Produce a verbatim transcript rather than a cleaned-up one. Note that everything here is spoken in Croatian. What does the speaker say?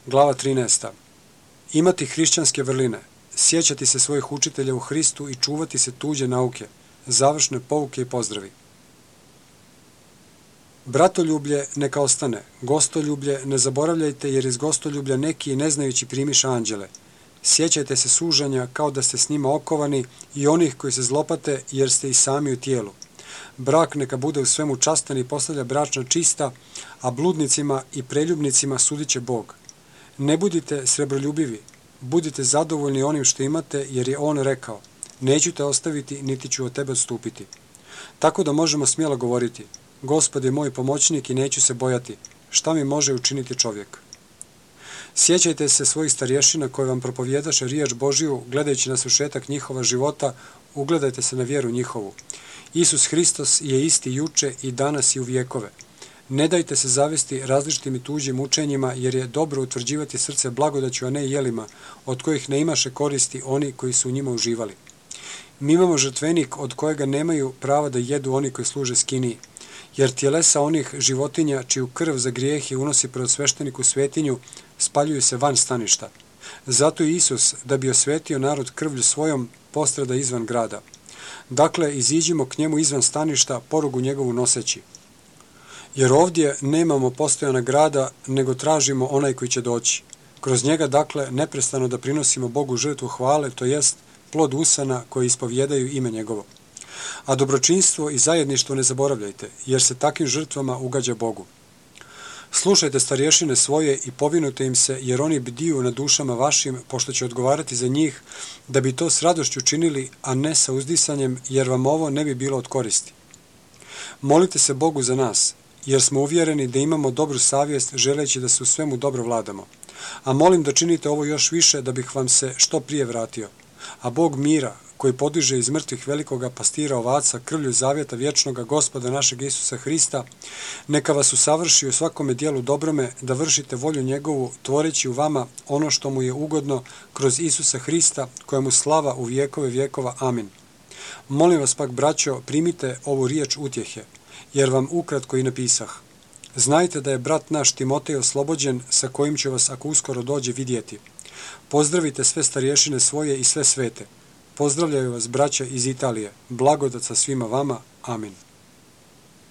Glava trinaesta. Imati hrišćanske vrline, sjećati se svojih učitelja u Hristu i čuvati se tuđe nauke, završne pouke i pozdravi. Bratoljublje neka ostane, gostoljublje ne zaboravljajte jer iz gostoljublja neki ne znajući primiša anđele. Sjećajte se sužanja kao da ste s njima okovani i onih koji se zlopate jer ste i sami u tijelu. Brak neka bude u svemu častan i postavlja bračna čista, a bludnicima i preljubnicima sudit će Bog. Ne budite srebroljubivi, budite zadovoljni onim što imate jer je On rekao, neću te ostaviti niti ću od tebe odstupiti. Tako da možemo smjelo govoriti, Gospod je moj pomoćnik i neću se bojati, šta mi može učiniti čovjek. Sjećajte se svojih starješina koji vam propovjedaše riječ Božiju, gledajući na svršetak njihova života, ugledajte se na vjeru njihovu. Isus Hristos je isti juče i danas i u vjekove. Ne dajte se zavesti različitim i tuđim učenjima, jer je dobro utvrđivati srce blagodaću, a ne jelima, od kojih ne imaše koristi oni koji su u njima uživali. Mi imamo žrtvenik od kojega nemaju prava da jedu oni koji služe skiniji, jer tjelesa onih životinja čiju krv za grijehe unosi pred svešteniku svetinju, spaljuju se van staništa. Zato i Isus, da bi osvetio narod krvlju svojom, postrada izvan grada. Dakle, iziđimo k njemu izvan staništa, porugu njegovu noseći. Jer ovdje nemamo postojana grada, nego tražimo onaj koji će doći. Kroz njega, dakle, neprestano da prinosimo Bogu žrtvu hvale, to jest plod usana koji ispovjedaju ime njegovo. A dobročinstvo i zajedništvo ne zaboravljajte, jer se takvim žrtvama ugađa Bogu. Slušajte starješine svoje i povinujte im se, jer oni bdiju na dušama vašim, pošto će odgovarati za njih, da bi to s radošću činili, a ne sa uzdisanjem, jer vam ovo ne bi bilo od koristi. Molite se Bogu za nas, jer smo uvjereni da imamo dobru savjest, želeći da se u svemu dobro vladamo. A molim da činite ovo još više, da bih vam se što prije vratio. A Bog mira, koji podiže iz mrtvih velikoga pastira ovaca krvlju zavjeta vječnoga Gospoda našeg Isusa Hrista, neka vas usavrši u svakome dijelu dobrome, da vršite volju njegovu, tvoreći u vama ono što mu je ugodno kroz Isusa Hrista, kojemu slava u vjekove vjekova. Amin. Molim vas pak, braćo, primite ovu riječ utjehe, jer vam ukratko i napisah. Znajte da je brat naš Timotej oslobođen, sa kojim će vas, ako uskoro dođe, vidjeti. Pozdravite sve starješine svoje i sve svete. Pozdravljaju vas braća iz Italije. Blagodat sa svima vama. Amin.